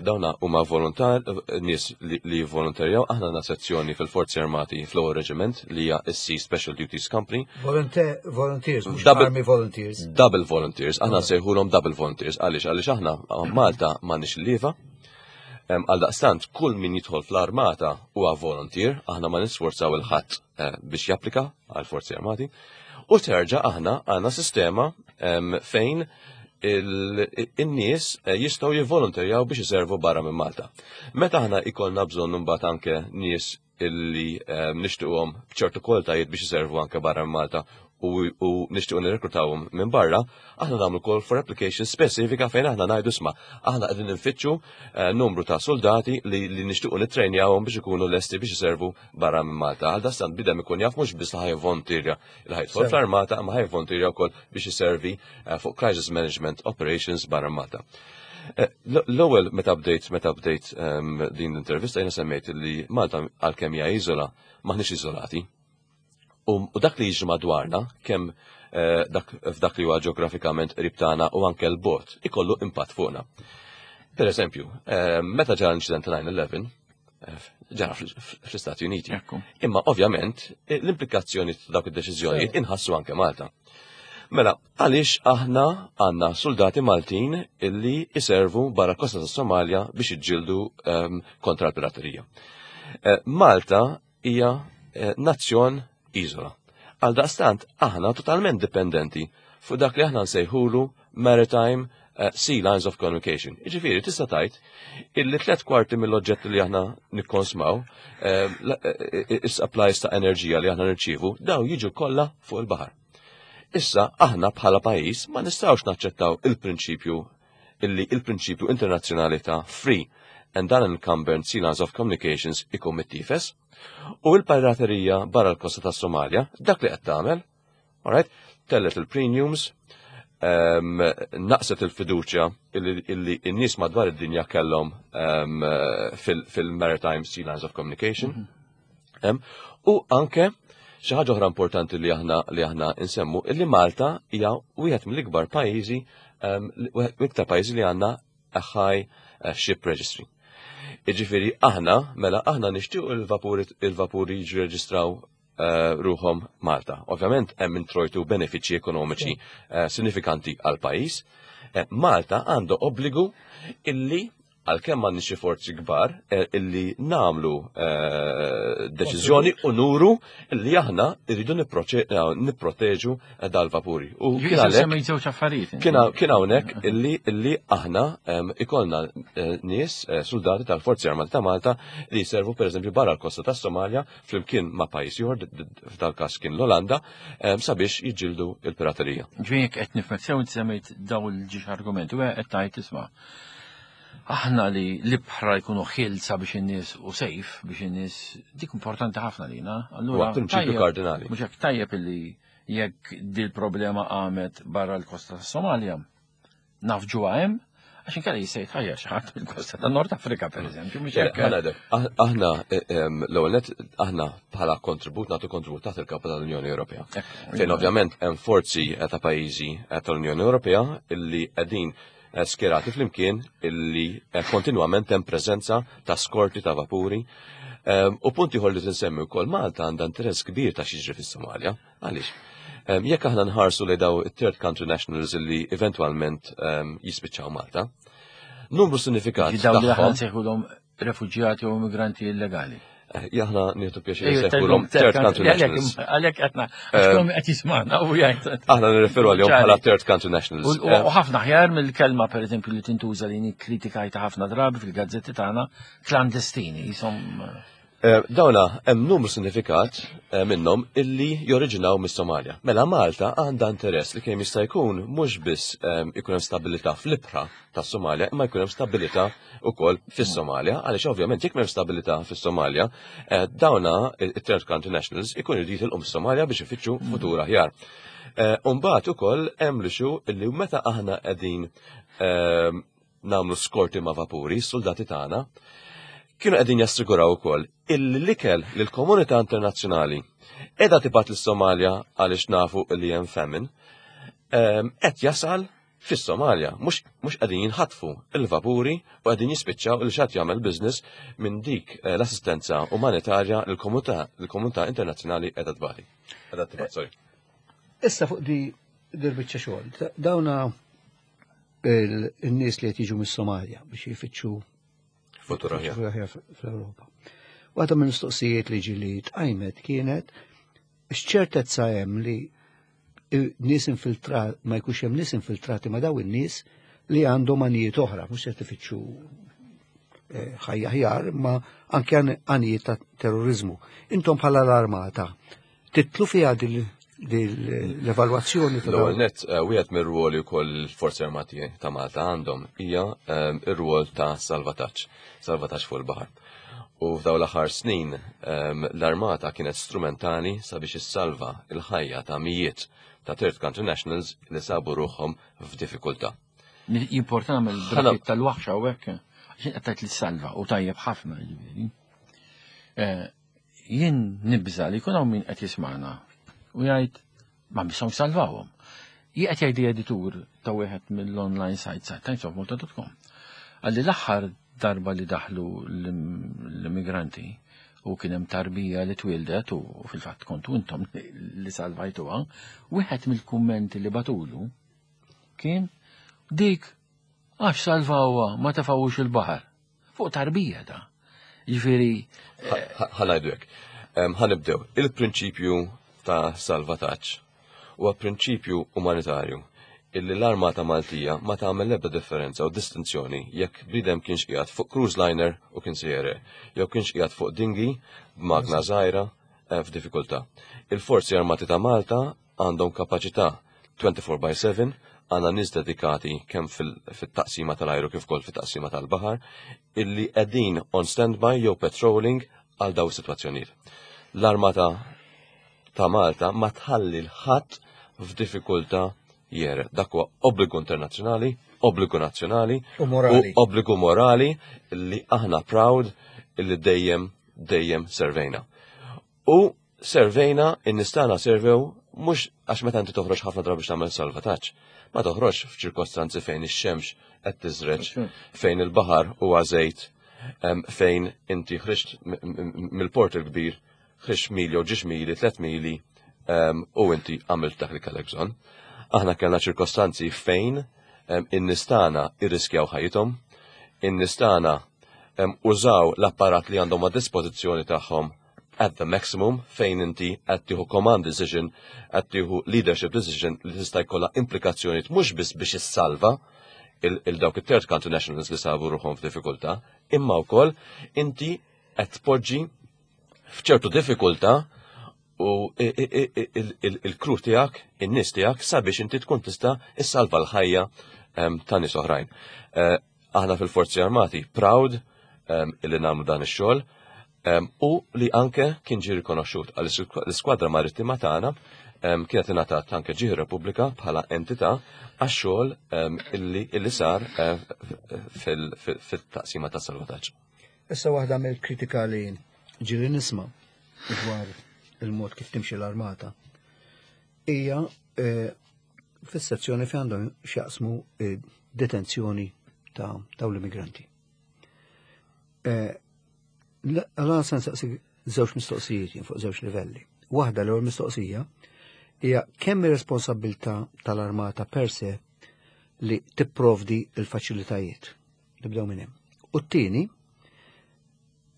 dawna huma volontar, nies li jivvolontarjaw, aħna għandna sezzjoni fil-Forzi Armati fl-ewwel reġiment li hija s-Sea Special Duties Company. Volunteers, mhux Army Volunteers. Double Volunteers, aħna nsejħulhom Double Volunteers, għaliex għaliex aħna Malta m'għandniex il-lieva. Għaldaqstant, kull min jidħol fl-armata huwa volunteer, aħna ma nisforzaw il-ħadd biex japplika għall-Forzi Armati. U terġa' aħna għandna sistema fejn in-nies jistgħu jivvolontarjaw biex iservu barra minn Malta. Meta aħna ikollna bżonn imbagħad anke nies illi nixtiequhom b'ċertu kwalitajiet biex iservu anke barra minn Malta u nixtiequ nirrekrutawhom minn barra, aħna nagħmlu call for application spesifika fejn aħna ngħidu isma' aħna qegħdin nfittxu numru ta' soldati li nixtiequ nittrejnjawhom biex ikunu lesti biex iservu barra minn Malta. Għal dastant bidem ikun jaf mhux biss li ħa jivvolontirja li ħa jidħol fl-armata, imma ħa jivvolontirja wkoll biex iservi fuq crisis management operations barra minn Malta. L-ewwel meta bdejt din l-intervista jiena semmejt li Malta għalkemm hija iżola maħniex iżolati. U dak li jiġri madwarna, kemm dak f'dak li huwa ġeografikament qrib tagħna u anke l-bogħod, ikollu impatt fuqna. Per eżempju, meta ġara l-inċident ta' 9/11, ġara fl-Istati Uniti. Imma ovvjament l-implikazzjoni ta' dawk id-deċiżjonijiet inħassu anke Malta. Mela, għaliex aħna għandna soldati Maltin illi iservu barra kosta ta' Somalia biex iġġieldu kontra l-piraterija. Malta hija nazzjon iżola. Għal daqstant aħna totalment dipendenti fuq dak li aħna nsejħulu maritime sea lines of communication. Jiġifieri tista' tgħid illi 3/4 mill-oġġetti li aħna nikkonsmaw, is-supplies ta' enerġija li aħna nirċievu, daw jiġu kollha fuq il-baħar. Issa aħna bħala pajjiż ma nistgħux naċċettaw il-prinċipju illi il-prinċipju internazzjonali ta' free and unencumbered sea lines of communications ikun mittifes u l-piraterija barra l-kosta ta' Somalia dak li qed tagħmel, alright, tellet il-premiums, naqset il-fiduċja illi n-nies madwar id-dinja kellhom fil-Maritime Sea Lines of Communication. U anke xi ħaġa oħra importanti li aħna insemmu illi Malta hija wieħed mill-ikbar pajjiżi, l-iktar pajjiżi li għandna a high ship registry. Iġifieri aħna, mela aħna nixtiequ il-vapuri il-vapuri jiġu reġistraw eh, ruħhom Malta. Ovvjament hemm introjtu benefiċċji ekonomiċi eh, sinifikanti għal pajjiż. Eh, Malta għandu obbligu illi għalkemm m'għandniex xi forzi kbar eh, illi nagħmlu eh, deċiżjoni u nuru illi aħna rridu eh, nipproteġu dal-vapuri. U kien għalhekk żewġ affarijiet. Kien hawnhekk illi illi aħna ikollna nies soldati tal-Forzi Armati ta' Malta li jservu pereżempju barra l-kosta tas-Somalja flimkien ma' pajjiż ieħor f'dal-każ kien l-Olanda sabiex jiġġieldu l-piraterija. Ġifieri jekk qed nifhmek sew inti semmejt dawn il-ġiex argumenti u qed tgħid isma' aħna li l-ibħra jkunu ħilsa biex in-nies u sejf biex in-nies dik importanti ħafna lina. Allura prinċipju kardinali. Mhux hekk tajjeb illi jekk dil problema qamet barra l-kosta tas-Somalja, naf ġuha hemm, għax inkella jista' jitħajjar xi ħadd mill-kosta ta' Nord Afrika pereżempju, mhux hekk. Aħna eh, l-ewwel nett aħna bħala kontribut nagħtu kontribut taħt il-kapa tal-Unjoni Ewropea. Fejn ovvjament hemm forzi ta' pajjiżi tal-Unjoni Ewropea illi qegħdin Eh, skjerati flimkien illi eh, kontinwament hemm preżenza ta' skorti ta' vapuri. Ehm, u punt ieħor li tinsemmi wkoll Malta għandha interess kbir ta' xiġri fis-Somalja. Għaliex? Ehm, jekk aħna nħarsu li daw third country nationals illi eventwalment ehm, jispiċċaw Malta, numru sinifikat. Daw li aħna nsejħulhom refuġjati u immigranti illegali. Eh, Jaħna nieħdu pjaċir nsejħulhom third country nationals. Għalhekk qed għaxkom qed jismagħna u jgħid. Aħna nirreferu għalihom bħala third country nationals. U eh, ħafna ħjar mill-kelma pereżempju li tintuża li nikkritikajta ħafna drabi fil-gazzetti tagħna klandestini jisom. Eh, dawna hemm numru sinifikat minnhom illi joriġinaw mis-Somalja. Mela Malta għandha interess li kemm jista' jkun mhux biss ikun hemm stabilità fl-ibħra tas-Somalja imma jkun hemm stabilità ukoll fis-Somalja, għaliex ovvjament jekk m'hemm stabilità fis-Somalja, eh, dawna it-third country nationals ikun jridu jitilqu mis-Somalja biex ifittxu mm. futur aħjar. Eh, Umbagħad ukoll hemm li xu li meta aħna qegħdin eh, nagħmlu skorti ma' vapuri, soldati tagħna, kienu qegħdin jassiguraw ukoll illi l-ikel li l-komunità internazzjonali qiegħda tibgħat lis-Somalja għaliex nafu li hemm famine, qed jasal Fis-Somalja mhux mhux qegħdin jinħatfu l-vapuri u qegħdin jispiċċaw il xatt jagħmel business minn dik eh, l-assistenza umanitarja l-komunità l-komunità internazzjonali qiegħda tbati. Qiegħda tibgħat, sorry. Issa fuq di dil-biċċa xogħol, dawna il-nies li qed jiġu mis-Somalja biex jfittxu futur aħjar fl-Ewropa. Waħda mill-mistoqsijiet li ġili tqajmet kienet x'ċertezza hemm li nies infiltrat ma jkunx hemm nies infiltrati ma' daw in-nies li għandhom għanijiet oħra, mhux se tifittxu eh, ħajja ħjar, ma anke għanijiet ta' terrorizmu. Intom bħala l-armata, titlu fiha l-evalwazzjoni ta' L-ewwel nett eh, wieħed mir-rwoli wkoll il-Forzi Armati ta' Malta għandhom hija eh, ir-rwol ta' salvataġġ, salvataġġ fuq il-baħar. U f'dawn l-aħħar snin ehm, l-armata kienet strumentali sabiex issalva il-ħajja ta' mijiet ta' third country nationals li sabu ruħhom f'diffikultà. Jimporta nagħmel bracket tal-waħxa u hekk, għax qed tgħid li salva u tajjeb ħafna jiġifieri. Eh, jien nibża li jkun hawn min qed jismagħna u jgħid ma misshom salvawhom. Jien qed jgħidli editur ta' wieħed mill-online site sa' timesofmalta.com. Għalli l-aħħar darba li daħlu l-immigranti u kien hemm tarbija li twildet u fil-fatt kontu intom li salvajtuha, wieħed mill-kummenti li batulu kien dik għax salvawha ma tefgħux il-baħar. Fuq tarbija ta' Ġifieri. Ħanajdu hekk. Ħanibdew. Il-prinċipju ta' salvataġġ huwa prinċipju umanitarju illi l-armata Maltija ma tagħmel l-ebda differenza u distinzjoni jekk bniedem kienx qiegħed fuq cruise liner u kien se jere, jew kienx qiegħed fuq dingi b'magna żgħira eh, f'diffikultà. Il-Forzi Armati ta' Malta għandhom kapaċità 24 by 7, għandna nies dedikati kemm fit-taqsima tal-ajru kif ukoll fit-taqsima tal-baħar illi qegħdin on standby jew patrolling għal daw is-sitwazzjonijiet. L-Armata ta' Malta ma tħalli l-ħadd f'diffikultà jere. Dak huwa obbligu internazzjonali, obbligu nazzjonali u morali. U obbligu morali li aħna proud illi dejjem dejjem servejna. U servejna, in-nies tagħna servew mhux għax meta inti toħroġ ħafna drabi biex tagħmel salvataġġ, ma toħroġx f'ċirkostanzi fejn ix-xemx qed tiżreġ, fejn il-baħar huwa żejt. Fejn inti ħriġt mill-port il-kbir, ħriġt mili u ġiex mili, 3 mili, u inti għamilt dak li kellek bżonn. Aħna kellna ċirkostanzi fejn in-nies tagħna irriskjaw ħajjithom, in-nies tagħna użaw l-apparat li għandhom a dispożizzjoni tagħhom at the maximum, fejn inti qed tieħu command decision, qed tieħu leadership decision li tista' jkollha implikazzjonijiet mhux biss biex issalva il-dawk it-third country nationals li sabu ruħhom f'diffikultà, imma wkoll inti qed tpoġġi f'ċertu diffikultà u il-crew tiegħek, in-nies tiegħek, sabiex inti tkun tista' issalva l-ħajja ta' nies oħrajn. Aħna fil-Forzi Armati proud illi nagħmlu dan ix-xogħol u li anke kien ġie rikonoxxut għal l-iskwadra marittima tagħna kienet ingħatat anke Ġieħ Repubblika bħala entità għax-xogħol illi sar fil-taqsima ta' salvataġġ. Issa, waħda mill-kritika li ġieli nisma' dwar il-mod kif timxi l-armata hija fis-sezzjoni fejn għandhom x'jaqsmu detenzjoni ta' dawn l-immigranti. Allora se nsaqsi żewġ mistoqsijiet jien fuq żewġ livelli. Waħda, l-ewwel mistoqsija hija kemm ir-responsabilità tal-armata per se li tipprovdi il-faċilitajiet. Nibdew minn hemm. U t-tieni,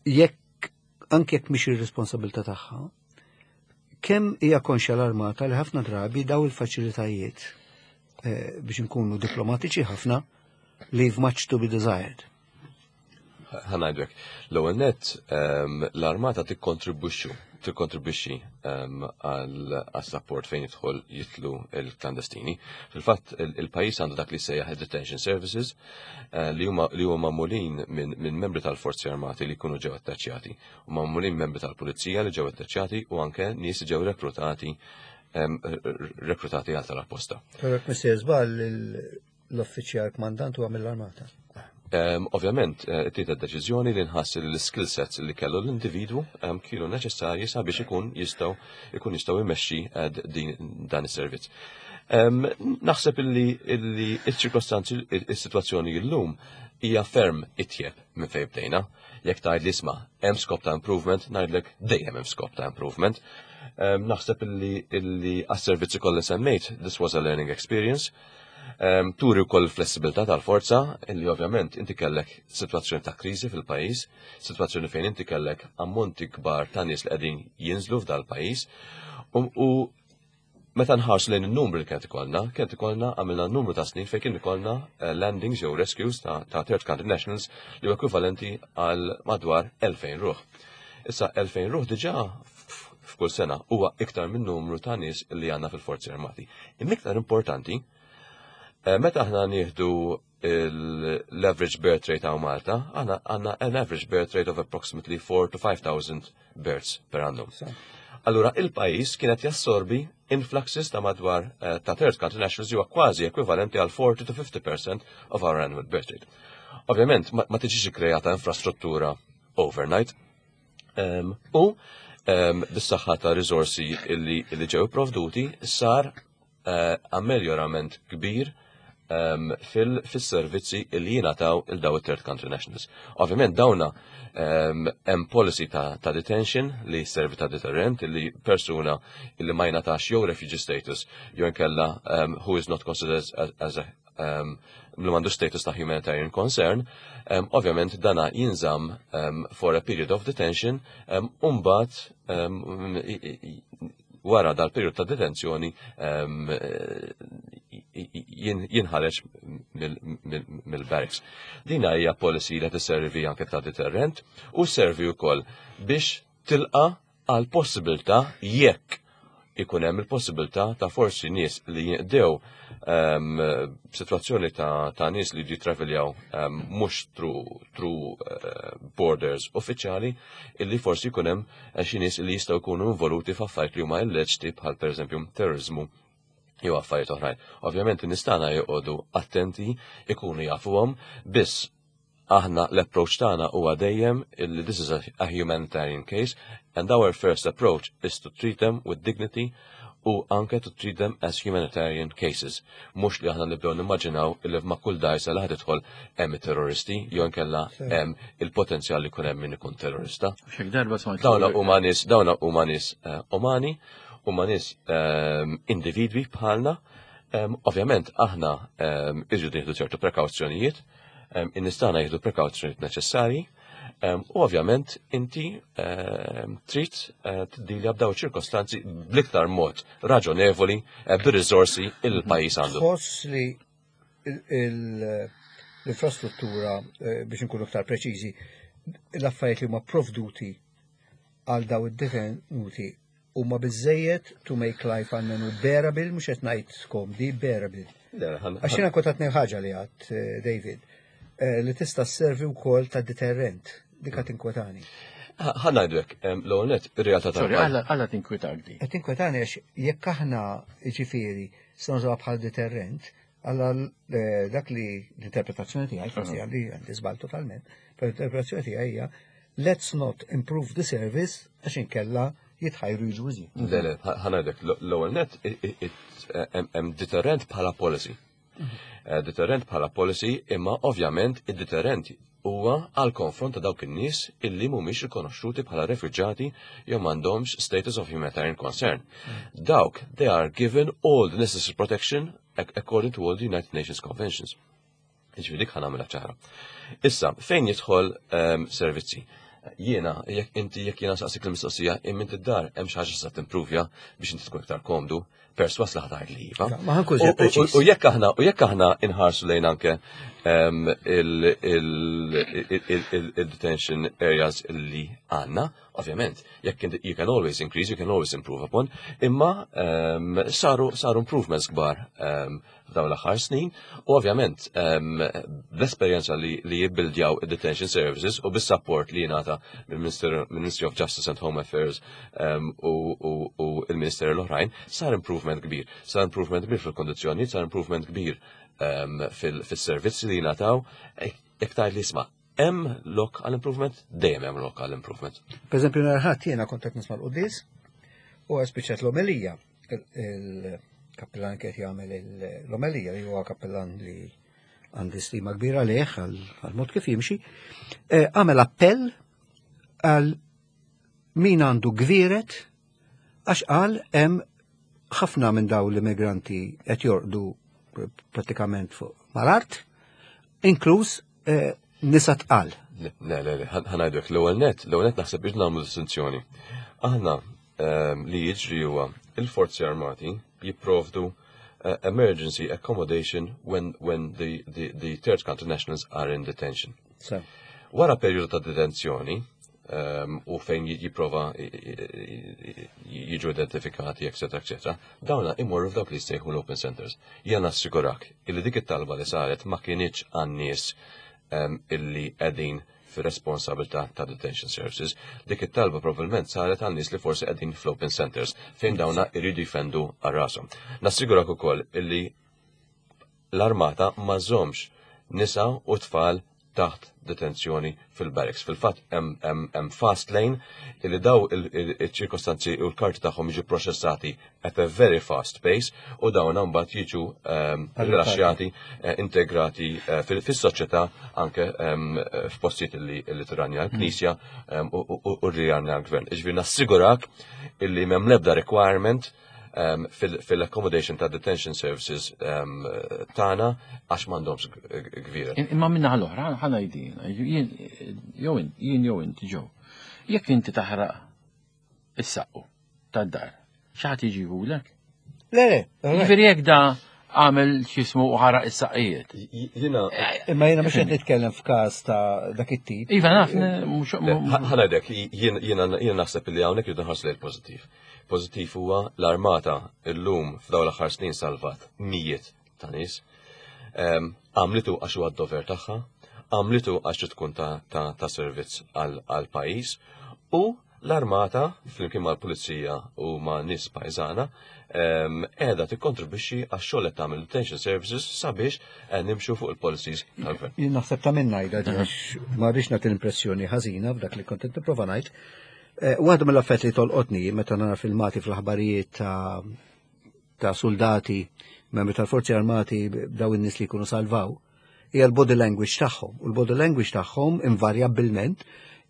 jekk anke jekk mhix ir-responsabilità tagħha, kemm hija konxja l-armata li ħafna drabi daw il-faċilitajiet, biex nkunu diplomatiċi ħafna, leave much to be desired? Ħa ngħidlek, l-ewwel net, l-armata tikkontribwixxi għal support fejn jidħol jitlu il-klandestini. Fil-fatt il-pajjiż għandu dak li sejjaħ detention services li huma magħmulin minn membri tal-Forzi Armati li jkunu ġew attaċjati, u magħmulin membri tal-Pulizija li ġew attaċjati u anke nies li ġew rekrutati għal tal-apposta. Però jekk m'iniex żball, l-uffiċjal kmandant huwa mill-armata. Ovvjament, ittieħdet deċiżjoni li nħass li l-skill sets li kellu l-individwu kienu neċessarji sabiex ikun jistgħu jmexxi dan is-servizz. Naħseb illi il-ċirkostanzi, il-sitwazzjoni llum hija ferm itjeb minn fejn bdejna. Jekk tgħid li isma' hemm scope ta' improvement, ngħidlek dejjem hemm scope ta' improvement. Naħseb illi għas-servizzi kollha semmejt, this was a learning experience. Turi wkoll flessibilità tal-forza, illi ovvjament inti kellek sitwazzjoni ta' kriżi fil-pajjiż, sitwazzjoni fejn inti kellek ammonti kbar ta' nies li qegħdin jinżlu f'dal-pajjiż. U meta nħarsu lejn in-numri li kienet ikollna għamilna numru ta' snin fejn kien ikollna landings jew rescues ta' third country nationals li huwa ekwivalenti għal madwar 2000 ruħ. Issa, 2000 ruħ diġà f'kull sena huwa iktar minn numru ta' nies li għandna fil-Forzi Armati. Imma iktar importanti, meta aħna nieħdu l-average birth rate hawn Malta, aħna għandna an average birth rate of approximately 4 to 5,000 births per annum. Allura, il-pajjiż kienet jassorbi influxes ta' madwar ta' third country nationals huwa kważi ekwivalenti għal 40 to 50% of our annual birth rate. Ovvjament, ma tiġix kreata infrastruttura overnight. U bis-saħħa ta' risorsi illi ġew provduti sar ameljorament kbir fil-servizzi illi jingħataw il daw third country nationals. Ovvjament dawna hemm policy ta' detention li servi ta' deterrent, illi persuna illi ma jingħatax jew refugee status jew inkella who is not considered as a li m'għandu status ta' humanitarian concern, ovvjament dana jinżamm for a period of detention, umbagħad wara dal-periodu ta' detenzjoni jinħareġ mill-barracks. Dina hija policy li tisservi anke ta' deterrent u servi wkoll biex tilqa għal possibilità jekk ikun hemm il-possibilità ta' forsi nies li jinqdew situazzjoni ta' nies li jitraveljaw mhux through borders uffiċjali, illi forsi jkun hemm xi nies li jistgħu jkunu involuti f'affarijiet li huma illeċti, bħal pereżempju terrorizmu jew affarijiet oħrajn. Ovvjament in-nies tagħna joqogħdu attenti, ikunu jafuhom, biss aħna l-approach tagħna huwa dejjem illi this is a humanitarian case and our first approach is to treat them with dignity. u anke to treat them as humanitarian cases. Mhux li aħna nibdew nimmaġinaw illi ma' kull dgħajsa li ħa tidħol hemm it-terroristi jew inkella hemm il-potenzjal li jkun hemm min ikun terrorista. Xek darba smajt. Dawna huma nies, dawna huma nies eh, umani, huma nies ehm, individwi bħalna. Ehm, ovvjament aħna ehm, irridu nieħdu ċertu prekawzjonijiet, in-nies tagħna jieħdu prekawzjonijiet neċessarji. U ovvjament inti trid eh, tiddilja b'daw ċirkostanzi bl-iktar mod raġonevoli eh, bir-riżorsi il-pajjiż għandu. Tħoss li l-infrastruttura eh, biex nkunu iktar preċiżi, l-affarijiet li huma provduti għal daw id-detenuti huma biżejjed to make life għalmenu bearable, mhux qed ngħid skomdi, bearable. Għax jiena kont qed ħaġa li għad, eh, David, eh, li tista' sservi wkoll ta' deterrent, dik qed tinkwetani. Ħa ngħidu hekk, l-ewwel nett ir-realtà tal Sorry, għala tinkwetak di. Qed tinkwetani għax jekk aħna ġifieri se nużawha bħal deterrent, għalla eh, dak li l-interpretazzjoni tiegħi, forsi għandi għandi żball totalment, però l-interpretazzjoni tiegħi hija let's not improve the service għax inkella jitħajru jiġu iżjed. Le, le, ħa ngħidlek, l-ewwel nett hemm deterrent bħala policy. Eh, deterrent bħala policy imma ovvjament id-deterrent huwa għal konfront ta' dawk in-nies illi mhumiex rikonoxxuti bħala refuġjati jew m'għandhomx status of humanitarian concern. Dawk they are given all the necessary protection according to all the United Nations Conventions. Ġifieri dik ħa nagħmilha ċara. Issa, fejn jidħol um, servizzi? Jiena, jekk inti jekk jiena saqsik l-mistoqsija, imma inti d-dar hemm xi ħaġa se timpruvja biex inti tkun iktar komdu, perswas li ħatajt li iva. Ma ħankun preċiż. U jekk aħna u jekk aħna inħarsu lejn anke ehm, il-detention areas li għandna, ovvjament, jekk you can always increase, you can always improve upon, imma ehm, saru saru improvements kbar ehm, f'dawn l-aħħar snin u ovvjament ehm, bl-esperjenza li, li jibbildjaw id-detention services u bis-support li jingħata mill-Ministry of Justice and Home Affairs ehm, u, u, u il-Ministeri l-oħrajn sar improvement kbir. Sar improvement kbir fil-kondizzjoni, sar improvement kbir ehm, fil-servizzi li jingħataw. Jekk tgħid li isma' hemm lok għal improvement, dejjem hemm lok għal improvement. Per eżempju, nhar ħadd jiena kont qed nisma' l-quddies u spiċċat l-omelija il-kappillan qed jagħmel l-omelija li huwa kappillan li għandi stima kbira leh għal mod kif jimxi, eh, għamel appell għal min għandu gviret għax qal hemm ħafna minn daw l-immigranti qed jorqdu pratikament fuq mal-art, inkluż eh, nisa tqal. Le, le, le, ħanajdek l-ewwel net, l-ewwel net naħseb biex nagħmlu distinzjoni. Aħna Ehm, li jiġri huwa il-forzi armati jipprovdu eh, emergency accommodation when, when the, the, the third country nationals are in detention. So. Wara periodu ta' detenzjoni, um, u fejn jipprova jiġu identifikati, etc., etc., dawna imorru f'dawk li jissejħu l-open centers. Jena nassigurak illi dik it-talba li saret ma kienieċ għan-nies um, illi qegħdin fir-responsabilità ta' detention services. Dik it-talba probabbilment saret għal nies li forsi qegħdin fl-open centers fejn dawna jridu jfendu għal rashom. Nassigurak ukoll illi l-armata ma żommx nisa u tfal taħt detenzjoni fil-barracks. Fil-fatt hemm fast lane illi daw il-ċirkostanzi u l-karti tagħhom jiġu proċessati at a very fast pace u dawn mbagħad jiġu ehm, rilaxxjati, eh, integrati eh, fis-soċjetà anke ehm, f'postijiet li tiranja l-Knisja ehm, u rjanja l-Gvern. Iġifieri nassigurak illi m'hemm l-ebda requirement fil-accommodation ta' detention services tagħna għax m'għandhomx gvira. Imma minna l-oħra ħana jdin, jew jien jew inti ġew. Jekk inti taħraq is-saqqu tad-dar. Xi ħadd jiġihulek? Le, le. Jiġifieri jekk da għamel x'ismu u ħaraq is-saqqijiet. Jiena. Imma jiena mhux qed nitkellem f'każ ta' dak it-tip. Iva naf, mhux. Ħanadek, jiena naħseb li hawnhekk irridu nħarsu lejn pożittiv. Pożittiv huwa l-armata llum f'dawn l-aħħar snin salvat mijiet ta' nies. Għamlitu għax huwa d-dover tagħha, għamlitu għax tkun ta' servizz għal pajjiż u l-armata flimkien mal-pulizija u ma' nies pajżana qiegħda tikkontribwixxi għax-xogħol qed tagħmel detention services sabiex eh, nimxu fuq il-policies tal-gvern. Jien naħseb ta' minn ngħidha għax ma rridx nagħti l-impressjoni ħażina f'dak li kont qed nipprova ngħid. Eh, waħda mill-affett li tolqotni meta nara filmati fl-aħbarijiet ta' ta' soldati, membri tal-Forzi Armati, daw in-nies li jkunu salvaw, hija l-body language tagħhom. U l-body language tagħhom invarjabbilment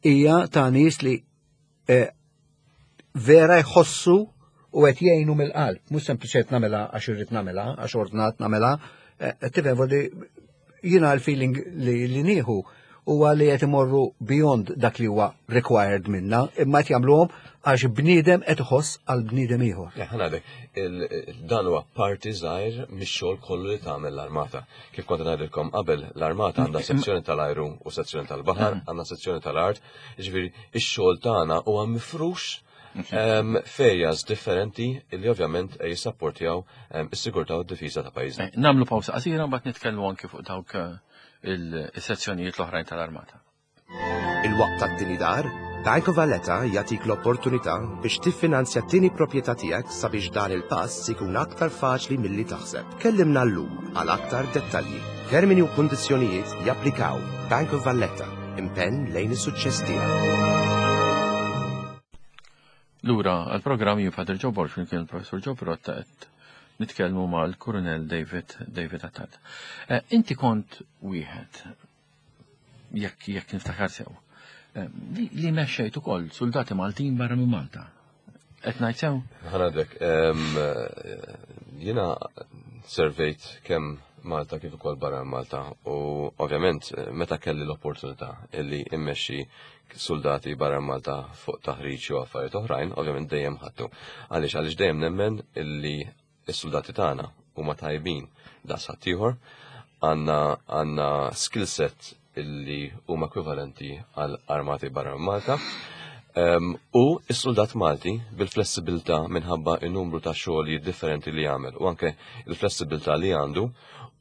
hija ta' nies li eh, vera jħossu u qed jgħinu mill-qalb, mhux sempliċi qed nagħmilha għax irrid nagħmilha, għax ordnat nagħmilha, eh, tifhem jiena l-feeling li nieħu huwa li qed imorru beyond dak li huwa required minna, imma qed jagħmluhom għax bniedem qed iħoss għal bniedem ieħor. Ħanadek, dan huwa parti żgħir mix-xogħol kollu li tagħmel l-armata. Kif kont ngħidilkom qabel, l-armata għandha sezzjoni tal-ajru u sezzjoni tal-baħar, għandha sezzjoni tal-art, jiġifieri ix-xogħol tagħna huwa mifrux f'areas differenti li ovvjament jissapportjaw is-sigurtà u d-difiża ta' pajjiżna. Eh, Namlu pawsa qasira mbagħad nitkellmu anki fuq dawk eh, il-sezzjonijiet l-oħrajn tal-armata. Il-waqt tat-tieni dar, Bank of Valletta jagħtik l-opportunità biex tiffinanzja t-tieni proprjetà tiegħek sabiex dan il-pass ikun aktar faċli milli taħseb. Kellimna llum għal aktar dettalji. Termini u kundizzjonijiet japplikaw. Bank of Valletta, impenn lejn is-suċċess tiegħek. Lura għal-programm jien Father Joe Borg kien il-Professur Joe Pirotta qed nitkellmu mal-Kurunell David David Attard. Eh, inti kont wieħed jekk jekk niftakar sew eh, li, li mexxejt ukoll soldati Maltin barra minn Malta. Qed ngħid sew? Ħanadek, jiena servejt kemm Malta kif ukoll barra minn Malta u ovvjament meta kelli l-opportunità illi immexxi soldati barra minn Malta fuq taħriġ u affarijiet oħrajn, ovvjament dejjem ħadtu. Għaliex għaliex dejjem nemmen illi s-soldati tagħna huma tajbin daqs ħaddieħor, għandna għandna skill set illi huma ekwivalenti għal armati barra minn Malta. U s-soldat Malti bil-flessibilità minħabba n-numru ta' xogħlijiet differenti li jagħmel u anke il-flessibilità li għandu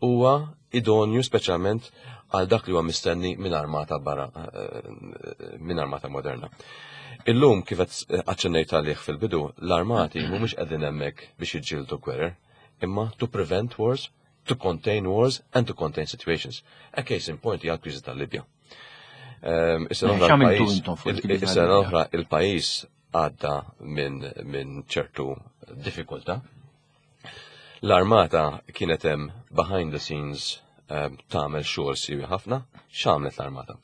huwa idonju speċjalment għal dak li huwa mistenni minn armata barra eh, minn armata moderna. Illum kif qed aċċennejt għalih fil-bidu, l-armati mhumiex qegħdin hemmhekk biex jiġġieldu gwerer, imma to prevent wars, to contain wars and to contain situations. A case in point hija l-kriżi tal-Libja. Is-sena oħra X'għamiltu l-pajjiż- intom fuq il-kriżi Is-sena tal-Libja? oħra il-pajjiż għadda minn min ċertu diffikultà. L-armata kienet hemm behind the scenes tagħmel xogħol siwi ħafna. X'għamlet l-armata?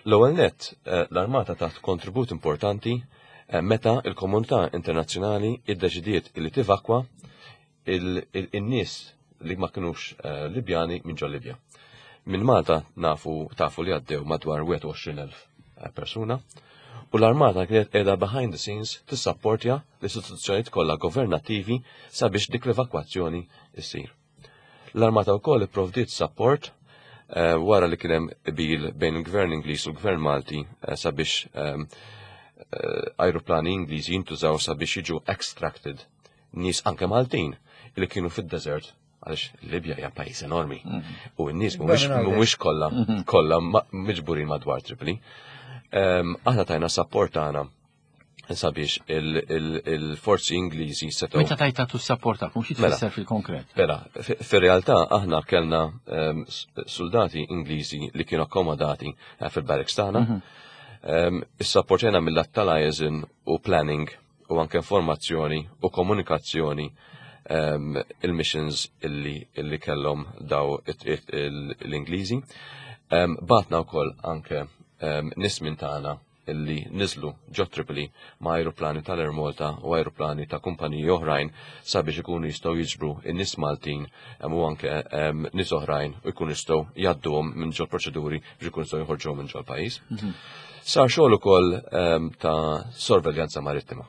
L-ewwel nett, eh, l-armata tat kontribut importanti eh, meta il-komunità internazzjonali iddeċidiet li tivakwa il-nies li ma kinux eh, Libjani minn ġol Libja. Minn Malta nafu tafu li għaddew madwar 21,000 eh, persuna u l-armata kienet qiegħda behind the scenes tissapportja l-istituzzjonijiet kollha governattivi sabiex dik l-evakwazzjoni issir. L-armata wkoll ipprovdiet support eh, wara li kien hemm qbil bejn il-Gvern Ingliż u l-Gvern Malti eh, sabiex ehm, eh, ajruplani Ingliżi jintużaw sabiex jiġu extracted nies anke Maltin li kienu fid-desert għaliex Libja hija pajjiż enormi u n-nies mhumiex Barra minn mhumiex kollha kollha ma- miġburin madwar Tripoli. Ehm, Aħna tajna support tagħna sabiex il-forzi Ingliżi setgħu Meta tajt tagħtu s-support tagħkom xi Mela. tfisser fil-konkret? Mela, fir-realtà aħna kellna ehm, soldati Ingliżi li kienu akkomodati eh, fil-barracks tagħna. Ehm, Issapportjana mill-lat tal-liaison u planning u anke informazzjoni u komunikazzjoni ehm, il-missions illi, illi kellhom daw l-Ingliżi. Ehm, Batna wkoll anke ehm, nies minn tagħna illi niżlu ġo Tripoli ma' aeroplani tal-Air Malta u aeroplani ta' kumpaniji oħrajn sabiex ikunu jistgħu jiġbru in-nies Maltin em, u anke em, nies oħrajn u jkunu jistgħu jgħadduhom minn ġol proċeduri biex ikunu jistgħu joħorġuhom minn ġol pajjiż. Sar xogħol ukoll em, ta' sorveljanza marittima.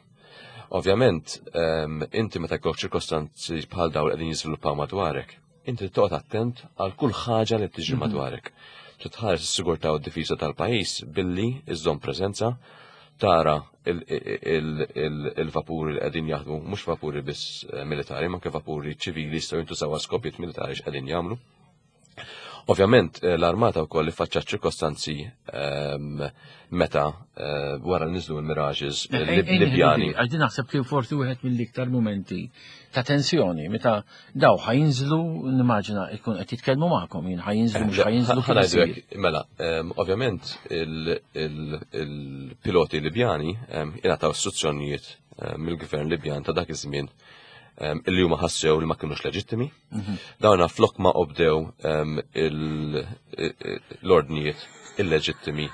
Ovvjament, em, inti meta jkollok ċirkostanzi bħal dawn li qegħdin jiżviluppaw madwarek, inti toqgħod attent għal kull ħaġa li tiġri madwarek. Titħares is-sigurtà u d-difiża tal-pajjiż billi iżżomm preżenza, tara il-vapuri li qegħdin jaħdmu, mhux vapuri biss eh, militari, ma anke vapuri ċivili jistgħu jintużaw għal skopijiet militari x'qegħdin jagħmlu. Ovvjament, eh, l-armata wkoll iffaċċat ċirkostanzi ehm, meta eh, wara niżlu l-Mirages Eh, Libjani. Għax naħseb kien forsi wieħed mill-iktar momenti ta' tensjoni meta daw ħajinżlu nimmaġina ikun qed jitkellmu magħkom jien ħajinżlu mhux ħajinżlu kif Ħa ngħidu isir. hekk, Mela, ehm, ovvjament il-piloti Libjani ehm, ingħataw istruzzjonijiet ehm, mill-gvern Libjan ta' dak iż-żmien. Illi huma ħassew li ma kinux leġittimi. Dawna flok ma obdew l-ordnijiet illeġittimi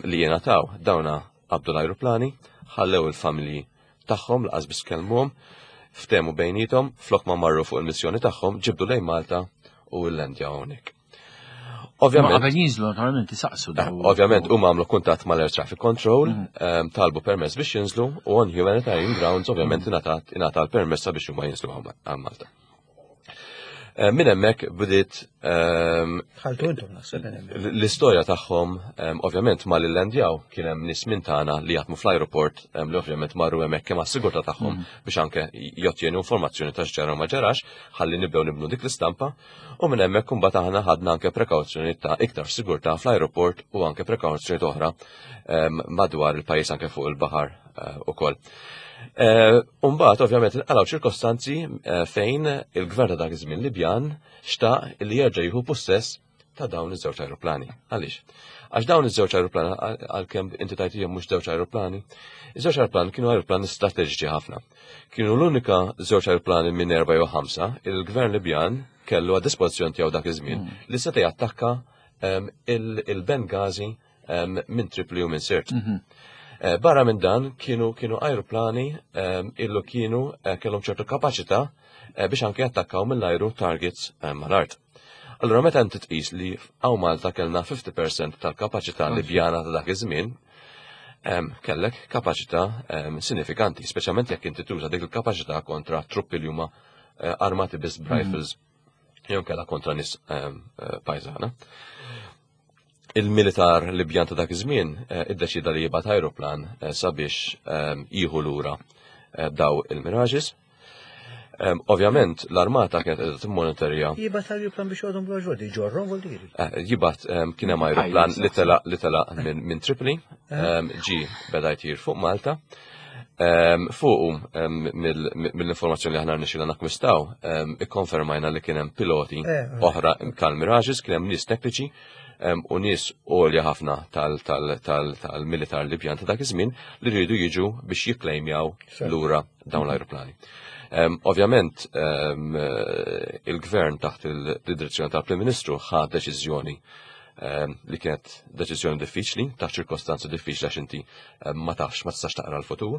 li jingħataw, dawna qabdu l-ajruplani, ħallew il-familji tagħhom laqas biss kellmuhom, ftehmu bejniethom, flok ma marru fuq il-missjoni tagħhom, ġibdu lejn Malta u l-landjaw hawnhekk. Ovvjament. Qabel jinżlu naturalment isaqsu daw. Ovvjament huma għamlu kuntatt mal-Air Traffic Control, talbu permess biex jinżlu u on humanitarian grounds ovvjament ingħata l-permess sabiex huma jinżlu għal Malta. Minn hemmhekk bdiet Ħaltu intom naħseb minn hemmhekk. L-istorja tagħhom ovvjament ma lillandjaw kien hemm nies minn tagħna li jaħdmu fl-ajruport li ovvjament marru hemmhekk kemm għas-sigurtà tagħhom biex anke jottjenu informazzjoni ta' x'ġara u ma ġarax ħalli nibdew nibnu dik l-istampa u minn hemmhekk imbagħad aħna ħadna anke prekawzjoni ta' iktar sigurtà fl-ajruport u anke prekawzjoni oħra madwar il-pajjiż anke fuq il-baħar ukoll. Umbagħad ovvjament inqalgħu ċirkostanzi fejn il-gvern ta' dak iż-żmien Libjan xtaq li jerġa' jieħu pussess ta' dawn iż-żewġ ajruplani. Għaliex? Għax dawn iż-żewġ ajruplani, għalkemm inti tajt hija mhux żewġ ajruplani, iż-żewġ ajruplani kienu ajruplani strateġiċi ħafna. Kienu l-unika żewġ ajruplani minn 4 jew 5 il-gvern Libjan kellu għad dispożizzjoni tiegħu dak iż-żmien li seta' jattakka il-Benghazi minn Tripoli u minn Sirte. Barra minn dan kienu ajruplani illu kienu kellhom ċertu kapaċità biex anke jattakkaw mill-ajru targets mal-art. Allura meta inti tqis li hawn Malta kellna 50% tal-kapaċità Libjana ta' dak iż-żmien, kellek kapaċità sinifikanti, speċjalment jekk inti tuża dik il-kapaċità kontra truppi li huma armati biss b'rifles jew kellha kontra nies pajżana. Il-militar Libjan ta' dak iż-żmien iddeċida li jibgħat ajruplan sabiex jieħu lura daw il-Mirages. Ovvjament l-armata kienet qiegħda timmonitorja. Jibgħat ajruplan biex joqgħodhom bla ġoddi, ġorrom vuol dire. Jibgħat kien hemm ajruplan li telaq minn Tripoli, ġi beda jtir fuq Malta. Fuqu mill-informazzjoni li aħna rnexxilna nakkwistaw, ikkonfermajna li kien hemm piloti oħra tal-Mirages, kien hemm nies tekniċi u nies għolja ħafna tal-militar Libjan ta' dak iż-żmien li rridu jiġu biex jikklejmjaw lura dawn l-ajruplani. Ovvjament, il-gvern taħt il-direzzjoni tal-Prim Ministru ħa deċiżjoni li kienet deċiżjoni diffiċli, taħt ċirkostanzi diffiċli għax inti ma tafx, ma tistax taqra l-futur.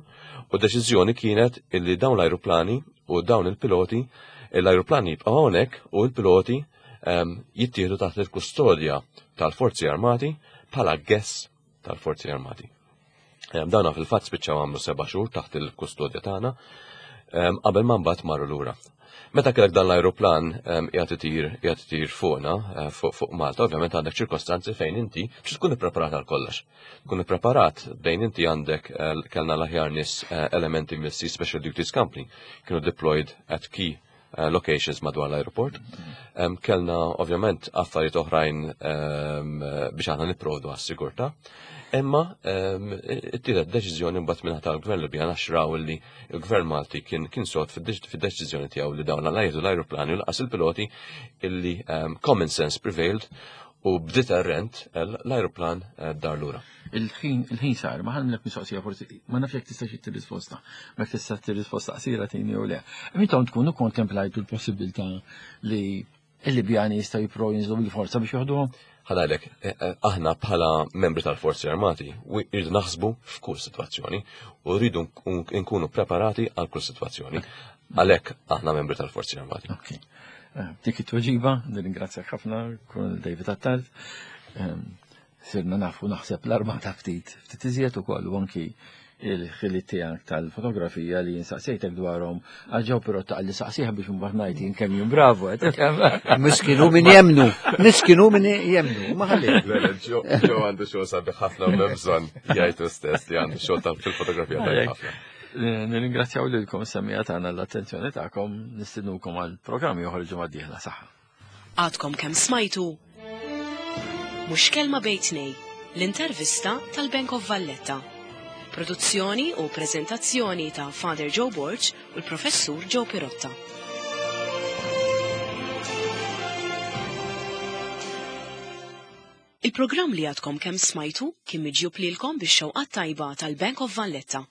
U deċiżjoni kienet illi dawn l-ajruplani u dawn il-piloti, l-ajruplani jibqgħu hawnhekk u l-piloti jittieħdu taħt il-kustodja tal-Forzi Armati bħala guests tal-Forzi Armati. Dawna fil-fatt spiċċaw għamlu 7 xhur taħt il-kustodja tagħna qabel ma mbagħad marru lura. Meta kellek dan l-ajruplan qiegħed itir qiegħed itir fuqna fuq Malta, ovvjament għandek ċirkostanzi fejn inti trid tkun ippreparat għal kollox. Tkun ippreparat bejn inti għandek kellna l-aħjar nies elementi mill-Sea Special Duties Company kienu deployed at key locations madwar l-aeroport. Kellna ovvjament affarijiet oħrajn biex aħna nipprovdu għas-sigurtà. Imma ittieħdet deċiżjoni mbagħad minn tal-Gvern Libjan għax raw li l-Gvern Malti kien sod fid-deċiżjoni tiegħu li dawn la jieħdu l-ajruplani u laqas il-piloti illi common sense prevailed u b'deterrent l-ajruplan dar lura. Il-ħin sar, ma ħanlek mistoqsija forsi, ma nafx jekk tista' xi tirrisposta, ma jekk tista' tirrisposta qasira tini jew le. Intom tkunu kontemplajtu l-possibilità li il-Libjani jistgħu jippruvaw jinżlu bil-forza biex joħduhom? Ħanajlek, aħna bħala membri tal-Forzi Armati rridu naħsbu f'kull sitwazzjoni u rridu nkunu preparati għal kull sitwazzjoni. Għalhekk aħna membri tal-Forzi Armati. Ok. Dik it-tweġiba, nirringrazzjak ħafna, Colonel David Attard. Sirna nafu naħseb l-armata ftit, ftit iżjed ukoll u anki il-ħiliet tiegħek tal-fotografija li jinsaqsejtek dwarhom għal ġew però ta' li saqsieha biex imbagħad ngħid jien kemm jien bravo qed tifhem. Miskinu min jemnu, miskinu min jemnu, ma ħalli. Le, le, Ġo għandu xogħol sabiħ ħafna u m'hemm bżonn jgħidu stess li għandu xogħol ta' fil-fotografija tajjeb ħafna. Nirringrazzjaw lilkom semmiegħa tagħna l-attenzjoni tagħkom, nistiednukom għal programm ieħor il-ġimgħa d-dieħla saħħa. Għadkom kemm smajtu Mhux Kelma Bejn Tnejn, l-intervista tal-Bank of Valletta. Produzzjoni u preżentazzjoni ta' Father Joe Borg u l-Professur Joe Pirotta. Il-programm li għadkom kemm smajtu kien miġjub lilkom bix-xewqat tajba tal-Bank of Valletta.